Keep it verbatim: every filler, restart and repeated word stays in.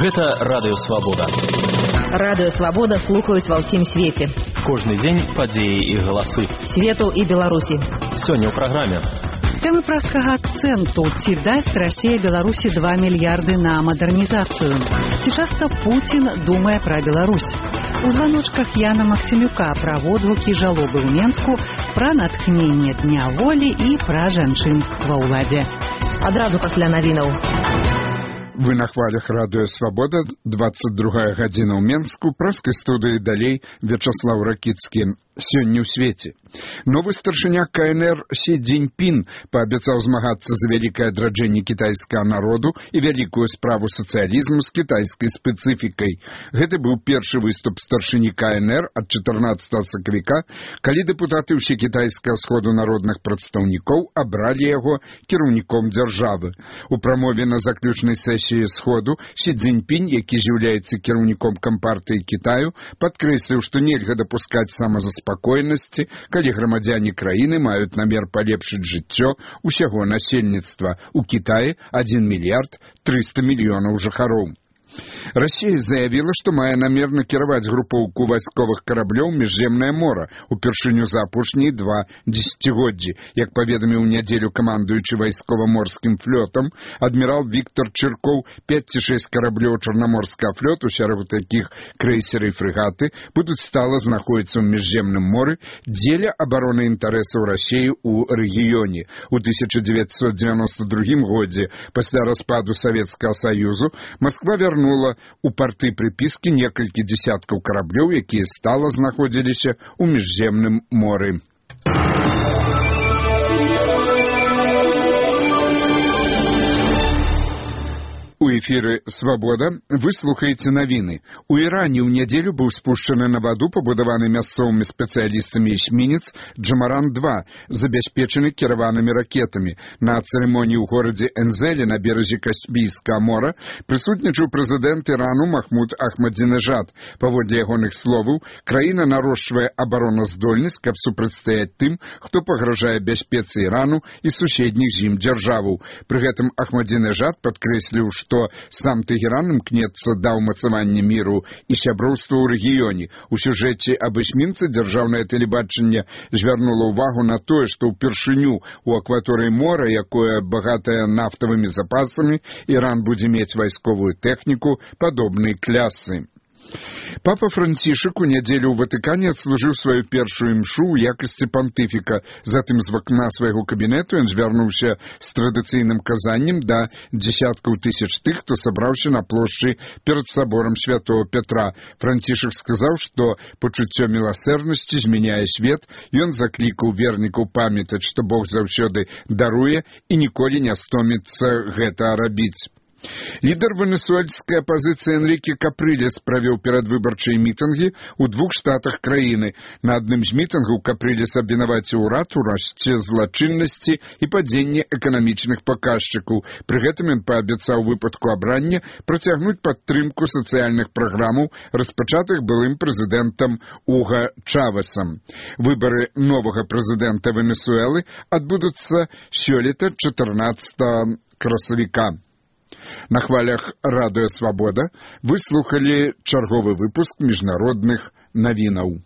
Гэта Радыё Свабода. Радыё Свабода слухаюць ва ўсім свеце. Кожны дзень падзеі і галасы. Свету і Беларусі. Сёння ў праграме. Тэмы праскага акцэнту. Ці дасць Расія Беларусі два мільярды на мадэрнізацыю? Ці часта Пуцін думае пра Беларусь? У званочках Яна Максімюка пра водгукі жалобы ў Менску, пра натхненне Дня волі і пра жанчын ва ўладзе. Адразу пасля навінаў. Вы на хвалях Радыё Свабода, двадцать другая гадзіна ў Менску, праскай студыі далей Вячаслав Ракіцкі. Сёння ў свеце. Новы старшыня ка эн эр Сі Цзіньпін паабяцаў змагацца за вялікае адраджэнне кітайскага народу і вялікую справу сацыялізму з кітайскай спецыфікай. Гэты быў першы выступ старшыні ка эн эр ад чатырнаццатага сакавіка, калі дэпутаты ўсекітайскага сходу народных прадстаўнікоў абралі яго кіраўніком дзяржавы. У прамове на заключнай сесіі сходу Сі Цзіньпін, які з'яўляецца кіраўніком кампартыі Кітаю, падкрэсліў, што нельга дапускаць самазаспакойнасці спакойнасці, калі грамадзяне краіны маюць намер палепшыць жыццё усяго насельніцтва. У Кітаі адзін мільярд трыста мільёнаў жыхароў. Расія заявіла, што мае намер накіраваць групоўку вайсковых караблёў ў міжземнае мора упершыню за апошнія два дзесяцігоддзі. Як паведаміў у нядзелю камандуючы вайскова-морскім флотам, адмірал Віктор Чыркоў, пяць ці шэсць караблёў чарнаморскага флоту, сярод якіх крэйсеры і фрэгаты, будуць стала знаходзіцца ў міжземным моры дзеля абароны інтарэсаў Расіі ў рэгіёне. У тысяча дзевяцьсот дзевяноста другім годзе, пасля распаду Савецкага Саюзу, Масква вярнула у парты прыпіскі некалькі дзесяткаў караблёў, якія стала знаходзіліся ў міжземным моры. У эфіры «Свабода» вы слухаеце навіны. У Іране ў нядзелю быў спушчаны на ваду пабудаваны мясцовымі спецыялістамі эсмінец Джамаран два, забяспечаны кіраванымі ракетамі. На цырымоніі ў горадзе Энзеле на беразе Каспійскага мора прысутнічаў прэзідэнт Ірану Махмуд Ахмадзінежад. Паводле ягоных словаў, краіна нарошчвае абароназдольнасць, каб супрацьстаяць тым, хто пагражае бяспецы Ірану і суседніх з ім дзяржаваў. Пры гэтым Ахмадзінежад падкрэсліў, што сам Тэгеран імкнецца да ўмацавання міру і сяброўства ў рэгіёне. У сюжэце аб эсмінцы дзяржаўнае тэлебачанне звярнула ўвагу на тое, што ўпершыню ў акваторыі мора, якое багатае нафтавымі запасамі, Іран будзе мець вайсковую тэхніку падобнай клясы. Папа Францішак у нядзелю ў Ватыкане адслужыў сваю першую імшу ў якасці пантыфіка. Затым з вакна свайго кабінету ён звярнуўся з традыцыйным казаннем да дзесяткаў тысяч тых, хто сабраўся на плошчы перад саборам святого Петра. Францішак сказаў, што пачуццё міласэрнасці змяняе свет. Ён заклікаў вернікаў памятаць, што Бог заўсёды даруе і ніколі не стоміцца гэта рабіць. Лідар венесуэльскай апазіцыі Энріке Капрылес правёў перадвыбарчыя мітынгі ў двух штатах краіны. На адным з мітынгаў Капрылес абвінаваціў урад у расце злачыннасці і падзенні эканамічных паказчыкаў. Пры гэтым ён паабяцаў у выпадку абрання працягнуць падтрымку сацыяльных праграмаў, распачатых былым прэзідэнтам Уга Чавесам. Выбары новага прэзідэнта Венесуэлы адбудуцца сёлета чатырнаццатага красавіка. На хвалях Радыё Свабода вы слухалі чарговы выпуск міжнародных навінаў.